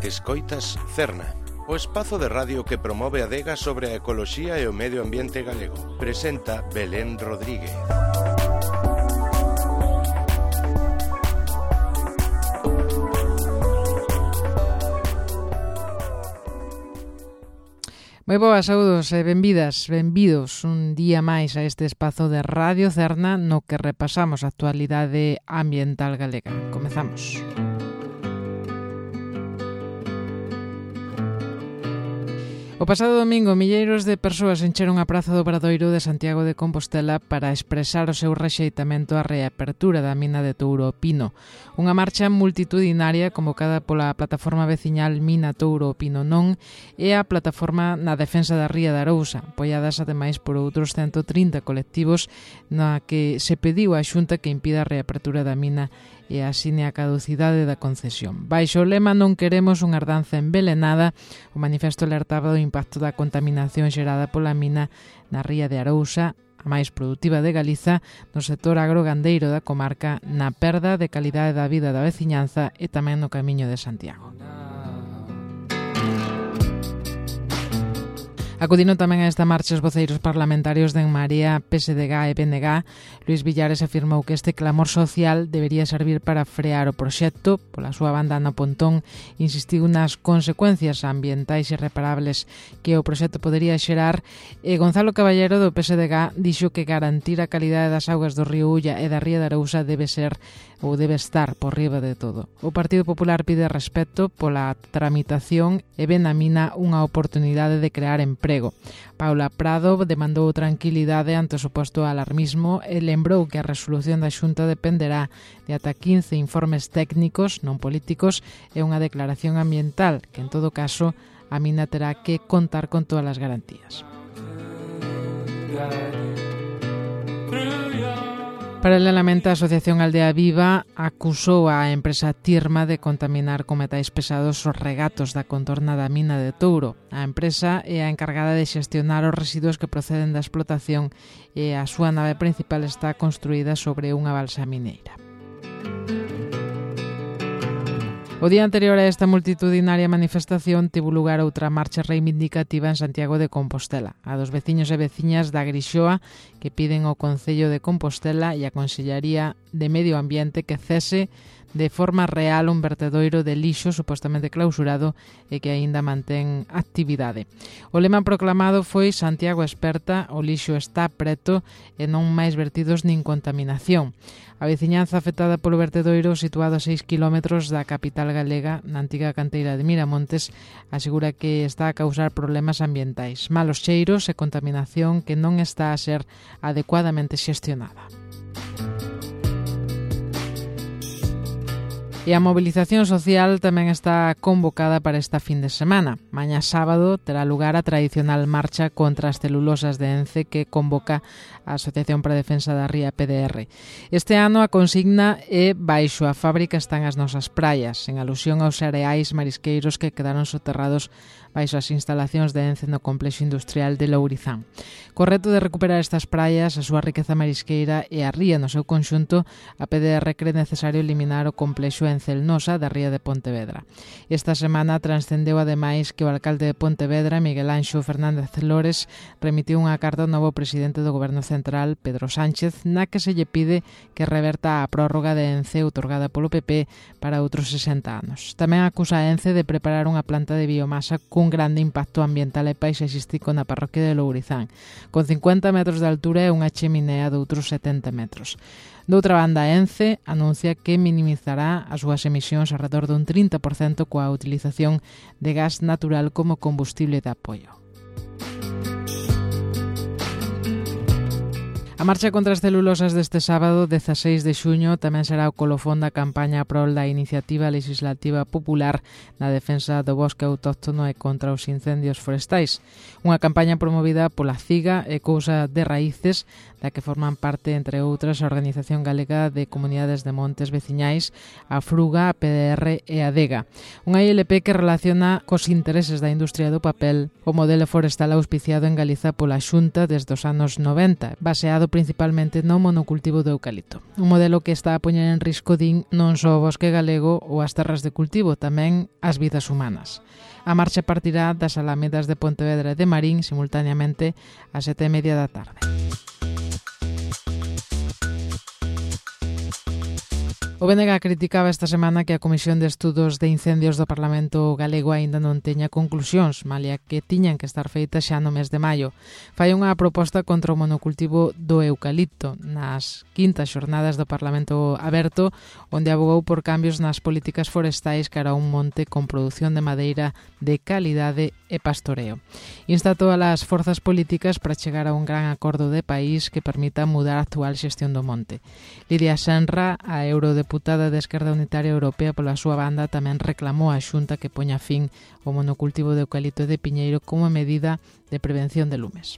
Escoitas Cerna, o espazo de radio que promove a adega sobre a ecoloxía e o medio ambiente galego. Presenta Belén Rodríguez. Moi boas, saúdos e benvidas, benvidos un día máis a este espazo de Radio Cerna no que repasamos a actualidade ambiental galega. Comezamos. O pasado domingo, milleiros de persoas encheron a Praza do Obradoiro de Santiago de Compostela para expresar o seu rexeitamento á reapertura da mina de Touro o Pino. Unha marcha multitudinaria convocada pola plataforma veciñal Mina Touro o Pino Non e a plataforma na defensa da ría de Arousa, apoiadas ademais por outros 130 colectivos, na que se pediu á Xunta que impida a reapertura da mina e asine a caducidade da concesión. Baixo o lema "Non queremos unha herdanza envelenada", o manifesto alertaba do impacto da contaminación xerada pola mina na ría de Arousa, a máis produtiva de Galiza, no sector agrogandeiro da comarca, na perda de calidade da vida da veciñanza e tamén no Camiño de Santiago. Acudiron tamén a esta marcha os voceiros parlamentarios de En Marea, PSDG e BNG. Luís Villares afirmou que este clamor social debería servir para frear o proxecto. Pola súa banda, Ana Pontón insistiu nas consecuencias ambientais irreparables que o proxecto podería xerar, e Gonzalo Caballero do PSDG dixo que garantir a calidade das augas do río Ulla e da ría de Arousa debe estar por riba de todo. O Partido Popular pide respeto pola tramitación e ven na mina unha oportunidade de crear emprego. Paula Prado demandou tranquilidade ante o suposto alarmismo e lembrou que a resolución da Xunta dependerá de ata 15 informes técnicos non políticos e unha declaración ambiental que, en todo caso, a mina terá que contar con todas as garantías. Paralelamente, a Asociación Aldea Viva acusou a empresa Tirma de contaminar con metais pesados os regatos da contorna da mina de Touro. A empresa é a encargada de xestionar os residuos que proceden da explotación e a súa nave principal está construída sobre unha balsa mineira. O día anterior a esta multitudinaria manifestación tivo lugar outra marcha reivindicativa en Santiago de Compostela, a dos veciños e veciñas da Grixoa que piden ao Concello de Compostela e a Consellería de Medio Ambiente que cese de forma real un vertedoiro de lixo supostamente clausurado e que aínda mantén actividade. O lema proclamado foi "Santiago experta, o lixo está preto e non máis vertidos nin contaminación". A veciñanza afectada polo vertedoiro, situado a 6 km da capital galega, na antiga canteira de Miramontes, asegura que está a causar problemas ambientais, malos cheiros e contaminación que non está a ser adecuadamente xestionada. E a mobilización social tamén está convocada para esta fin de semana. Mañá sábado terá lugar a tradicional marcha contra as celulosas de Ence que convoca a Asociación para a Defensa da Ría PDR. Este ano a consigna é "Baixo a fábrica están as nosas praias", en alusión aos areais marisqueiros que quedaron soterrados baixo as instalacións de Ence no complexo industrial de Lourizán. Co reto de recuperar estas praias, a súa riqueza marisqueira e a ría no seu conxunto, a PDR cree necesario eliminar o complexo Encelnosa da ría de Pontevedra. Esta semana transcendeu ademais que o alcalde de Pontevedra, Miguel Anxo Fernández Lores, remitiu unha carta ao novo presidente do Goberno Central, Pedro Sánchez, na que se lle pide que reverta a prórroga de Ence outorgada polo PP para outros 60 anos. Tamén acusa a Ence de preparar unha planta de biomasa cun grande impacto ambiental e paisaxístico na parroquia de Lourizán, con 50 metros de altura e unha cheminea de outros 70 metros. Doutra banda, Ence anuncia que minimizará as súas emisións alrededor dun 30% coa utilización de gas natural como combustible de apoio. A marcha contra as celulosas deste sábado, 16 de xuño, tamén será o colofón da campaña a prol da iniciativa legislativa popular na defensa do bosque autóctono e contra os incendios forestais. Unha campaña promovida pola CIGA e Cousa de Raíces, da que forman parte, entre outras, a Organización Galega de Comunidades de Montes Veciñais, a FRUGA, a PDR e a DEGA. Unha ILP que relaciona cos intereses da industria do papel o modelo forestal auspiciado en Galiza pola Xunta desde os anos 90, baseado principalmente no monocultivo do eucalipto. Un modelo que está a poñer en risco, din, non só o bosque galego ou as terras de cultivo, tamén as vidas humanas. A marcha partirá das alamedas de Pontevedra e de Marín simultaneamente ás 7:30 da tarde. O BNG criticaba esta semana que a Comisión de Estudos de Incendios do Parlamento Galego aínda non teña conclusións, malia que tiñan que estar feitas xa no mes de maio. Fai unha proposta contra o monocultivo do eucalipto nas quintas xornadas do Parlamento Aberto, onde abogou por cambios nas políticas forestais cara a un monte con produción de madeira de calidade e pastoreo. Insta a todas as forzas políticas para chegar a un gran acordo de país que permita mudar a actual xestión do monte. Lidia Senra, a eurodeputada de Esquerda Unitaria Europea, pola súa banda, tamén reclamou a Xunta que poña fin ao monocultivo de eucalipto e de piñeiro como medida de prevención de lumes.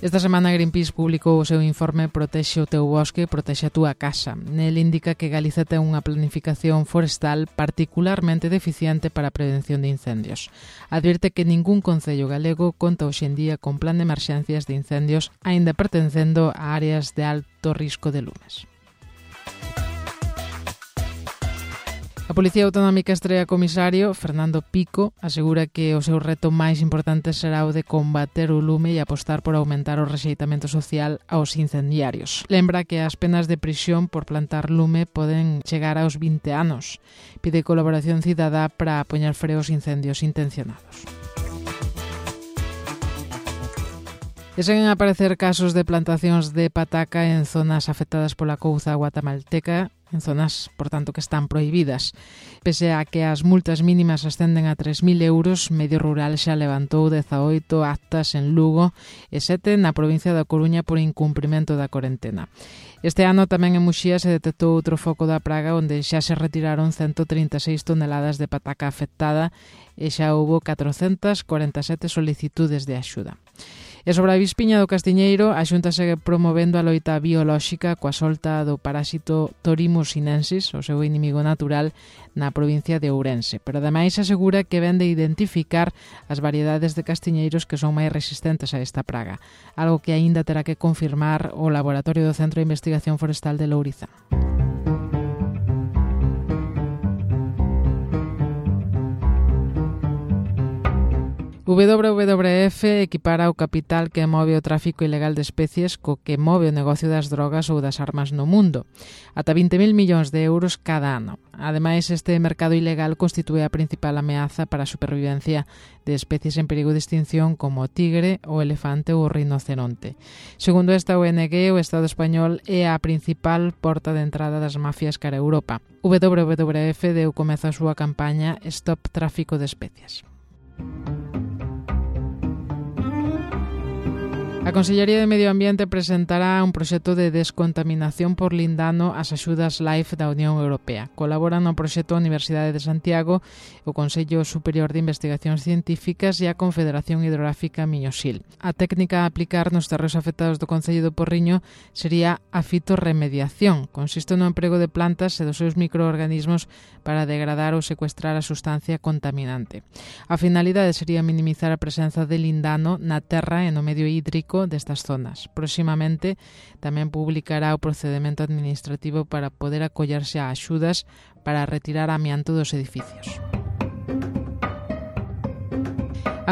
Esta semana Greenpeace publicou o seu informe Protexe o teu bosque, protexe a túa casa. Nel indica que Galiza ten unha planificación forestal particularmente deficiente para a prevención de incendios. Advirte que ningún concello galego conta hoxe en día con plan de emerxencias de incendios, aínda pertencendo a áreas de alto risco de lumes. A Policía Autonómica estrea comisario, Fernando Pico, asegura que o seu reto máis importante será o de combater o lume e apostar por aumentar o rexeitamento social aos incendiarios. Lembra que as penas de prisión por plantar lume poden chegar aos 20 anos. Pide colaboración cidadá para poñer freo aos incendios intencionados. E seguen a aparecer casos de plantacións de pataca en zonas afectadas pola couza guatemalteca, en zonas, por tanto, que están prohibidas. Pese a que as multas mínimas ascenden a 3.000 euros, Medio Rural xa levantou 18 actas en Lugo e 7 na provincia da Coruña por incumprimento da corentena. Este ano tamén en Muxía se detectou outro foco da praga onde xa se retiraron 136 toneladas de pataca afectada e xa houbo 447 solicitudes de axuda. E sobre a avispiña do castiñeiro, a Xunta segue promovendo a loita biolóxica coa solta do parásito Torimus sinensis, o seu inimigo natural, na provincia de Ourense. Pero ademais asegura que ven de identificar as variedades de castiñeiros que son máis resistentes a esta praga, algo que aínda terá que confirmar o Laboratorio do Centro de Investigación Forestal de Lourizán. WWF equipara o capital que move o tráfico ilegal de especies co que move o negocio das drogas ou das armas no mundo. Ata 20.000 millóns de euros cada ano. Ademais, este mercado ilegal constitúe a principal ameaza para a supervivencia de especies en perigo de extinción como o tigre, o elefante ou o rinoceronte. Segundo esta ONG, o Estado español é a principal porta de entrada das mafias cara a Europa. WWF deu comezo a súa campaña Stop Tráfico de Especies. A Consellería de Medio Ambiente presentará un proxecto de descontaminación por lindano ás axudas LIFE da Unión Europea. Colaboran no proxecto a Universidade de Santiago, o Consello Superior de Investigacións Científicas e a Confederación Hidrográfica Miñosil. A técnica a aplicar nos terreos afectados do Concello do Porriño sería a fitorremediación. Consiste no emprego de plantas e dos seus microorganismos para degradar ou secuestrar a sustancia contaminante. A finalidade sería minimizar a presenza de lindano na terra e no medio hídrico destas zonas. Próximamente tamén publicará o procedemento administrativo para poder acollerse a axudas para retirar amianto dos edificios.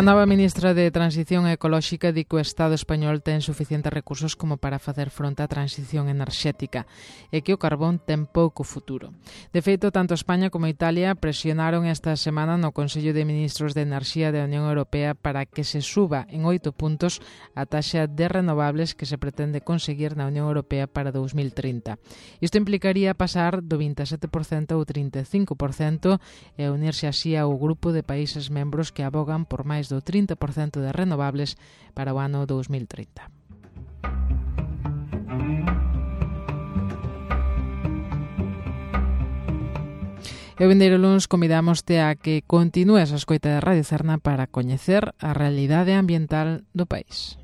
A nova ministra de Transición Ecolóxica di que o Estado español ten suficientes recursos como para facer fronte á transición enerxética e que o carbón ten pouco futuro. De feito, tanto España como Italia presionaron esta semana no Consello de Ministros de Enerxía da Unión Europea para que se suba en 8 puntos a taxa de renovables que se pretende conseguir na Unión Europea para 2030. Isto implicaría pasar do 27% ao 35% e unirse así ao grupo de países membros que abogan por máis do 30% de renovables para o ano 2030. E o vindeiro luns convidámoste a que continúes a escoita de Radio Cerna para coñecer a realidade ambiental do país.